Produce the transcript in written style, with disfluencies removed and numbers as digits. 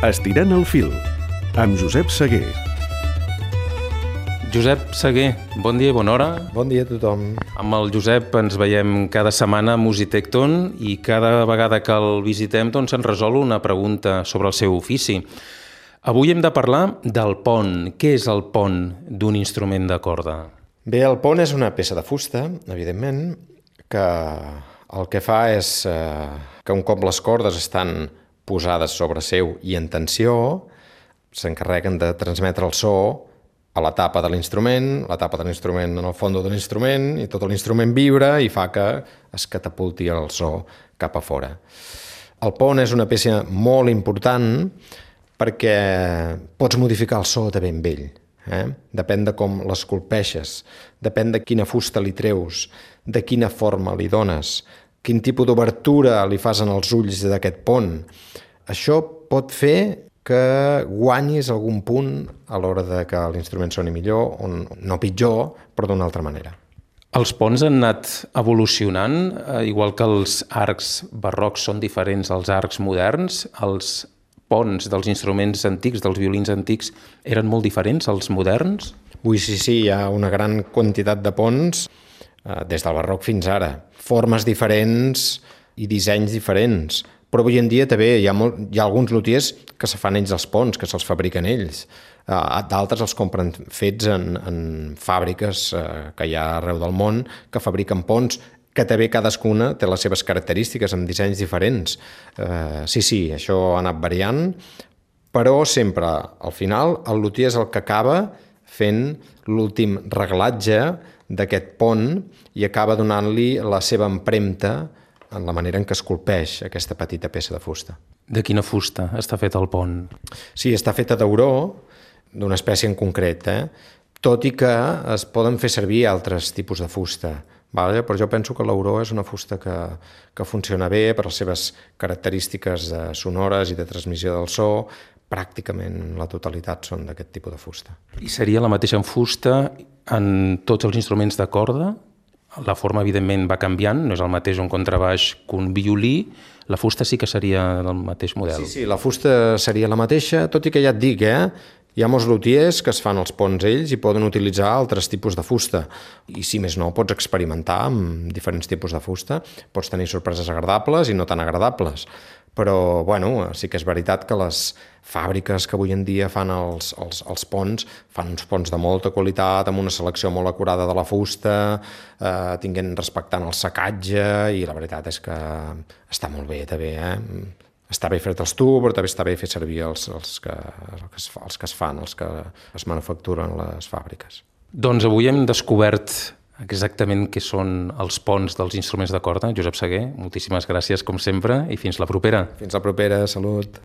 Estirant el fil, amb Josep Seguer. Josep Seguer, bon dia i bona hora. Bon dia a tothom. Amb el Josep ens veiem cada setmana a Musitecton i cada vegada que el visitem doncs ens resol una pregunta sobre el seu ofici. Avui hem de parlar del pont. Què és el pont d'un instrument de corda? Bé, el pont és una peça de fusta, evidentment, que el que fa és que un cop les cordes estan posades sobre seu i en tensió, s'encarreguen de transmetre el so a la tapa de l'instrument, la tapa de l'instrument en el fons de l'instrument, i tot l'instrument vibra i fa que es catapulti el so cap a fora. El pont és una peça molt important perquè pots modificar el so de ben vell. Depèn de com l'esculpeixes, depèn de quina fusta li treus, de quina forma li dones, quin tipus d'obertura li fas en els ulls d'aquest pont. Això pot fer que guanyis algun punt a l'hora de que l'instrument soni millor, o no pitjor, però d'una altra manera. Els ponts han anat evolucionant, igual que els arcs barrocs són diferents als arcs moderns. Els ponts dels instruments antics, dels violins antics, eren molt diferents als moderns? Ui, sí, hi ha una gran quantitat de ponts des del barroc fins ara. Formes diferents i dissenys diferents. Però avui en dia també hi ha alguns lutiers que se fan ells els ponts, que se'ls fabriquen ells. D'altres els compren fets en fàbriques que hi ha arreu del món que fabriquen ponts, que també cadascuna té les seves característiques amb dissenys diferents. Sí, això ha anat variant, però sempre, al final, el lutier és el que acaba fent l'últim reglatge d'aquest pont i acaba donant-li la seva empremta en la manera en què esculpeix aquesta petita peça de fusta. De quina fusta està fet el pont? Sí, està feta d'auró, d'una espècie en concret, tot i que es poden fer servir altres tipus de fusta. Però jo penso que l'auró és una fusta que funciona bé per les seves característiques sonores i de transmissió del so. Pràcticament la totalitat són d'aquest tipus de fusta. I seria la mateixa fusta en tots els instruments de corda? La forma, evidentment, va canviant, no és el mateix un contrabaix que un violí. La fusta sí que seria del mateix model. Sí, la fusta seria la mateixa, tot i que ja et dic, hi ha molts lutiers que es fan els ponts ells i poden utilitzar altres tipus de fusta. I si més no, pots experimentar amb diferents tipus de fusta, pots tenir sorpreses agradables i no tan agradables. Però, sí que és veritat que les fàbriques que avui en dia fan els ponts, fan uns ponts de molta qualitat, amb una selecció molt acurada de la fusta, respectant el secatge, i la veritat és que està molt bé, també, Està bé fer-te'ls tu, però també està bé fer servir els que es fan, els que es manufacturen a les fàbriques. Doncs avui hem descobert exactament què són els ponts dels instruments de corda. Josep Seguer, moltíssimes gràcies, com sempre, i fins la propera. Fins la propera, salut.